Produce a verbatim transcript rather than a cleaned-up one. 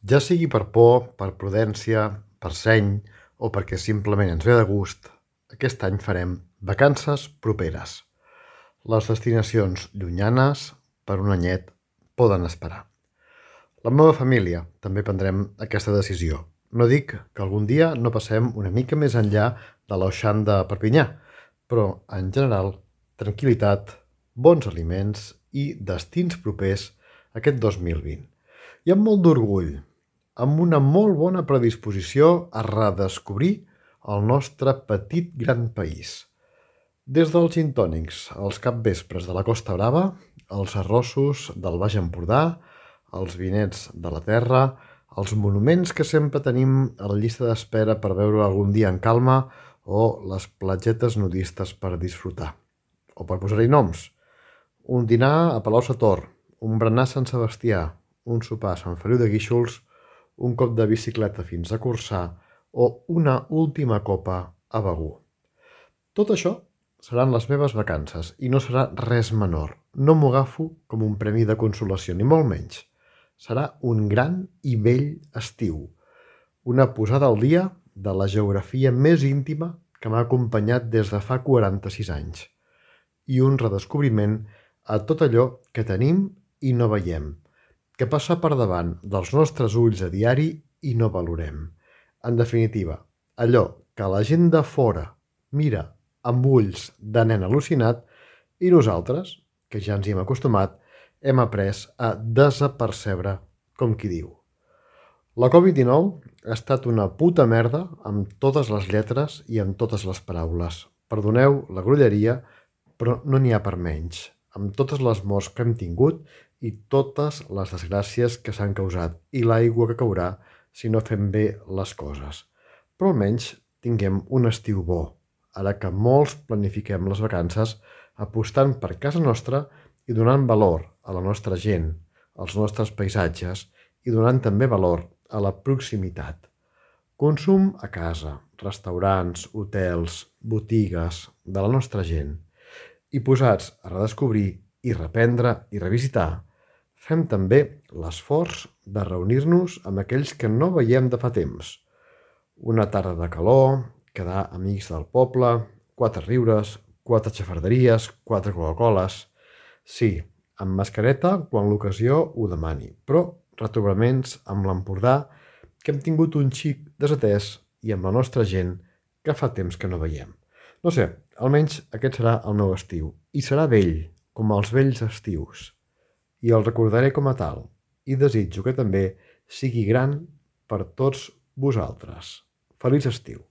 Ja sigui per por, per prudència, per seny o perquè simplement ens ve de gust, aquest any farem vacances properes. Les destinacions llunyanes, per un anyet, poden esperar. La meva família també prendrem aquesta decisió. No dic que algun dia no passem una mica més enllà de l'Auxant de Perpinyà, però, en general, tranquil·litat, bons aliments i destins propers aquest dos mil vint. I amb molt d'orgull, amb una molt bona predisposició a redescobrir el nostre petit gran país. Des dels gintònics als capvespres de la Costa Brava, els arrossos del Baix Empordà, els vinets de la terra, els monuments que sempre tenim a la llista d'espera per veure algun dia en calma o les platgetes nudistes per disfrutar. O per posar-hi noms, un dinar a Palau-sator, un berenar a Sant Sebastià, un sopar a Sant Feliu de Guíxols, un cop de bicicleta fins a Corçà o una última copa a Begur. Tot això seran les meves vacances i no serà res menor. No m'ho agafo com un premi de consolació, ni molt menys. Serà un gran i vell estiu. Una posada al dia de la geografia més íntima que m'ha acompanyat des de fa quaranta-sis anys. I un redescobriment a tot allò que tenim i no veiem, que passa per davant dels nostres ulls a diari i no valorem. En definitiva, allò que la gent de fora mira amb ulls de nen al·lucinat i nosaltres, que ja ens hi hem acostumat, hem après a desapercebre, com qui diu. La covid dinou ha estat una puta merda amb totes les lletres i amb totes les paraules. Perdoneu la grolleria, però no n'hi ha per menys. Amb totes les morts que hem tingut i totes les desgràcies que s'han causat i l'aigua que caurà si no fem bé les coses. Però almenys tinguem un estiu bo, ara que molts planifiquem les vacances apostant per casa nostra i donant valor a la nostra gent, als nostres paisatges i donant també valor a la proximitat. Consum a casa, restaurants, hotels, botigues, de la nostra gent. I posats a redescobrir i reprendre i revisitar, fem també l'esforç de reunir-nos amb aquells que no veiem de fa temps. Una tarda de calor, quedar amics del poble, quatre riures, quatre xafarderies, quatre Coca-Coles. Sí, amb mascareta quan l'ocasió ho demani, però retrobaments amb l'Empordà que hem tingut un xic desatès i amb la nostra gent que fa temps que no veiem. No sé, almenys aquest serà el meu estiu. I serà vell, com els vells estius. I el recordaré com a tal. I desitjo que també sigui gran per tots vosaltres. Feliç estiu.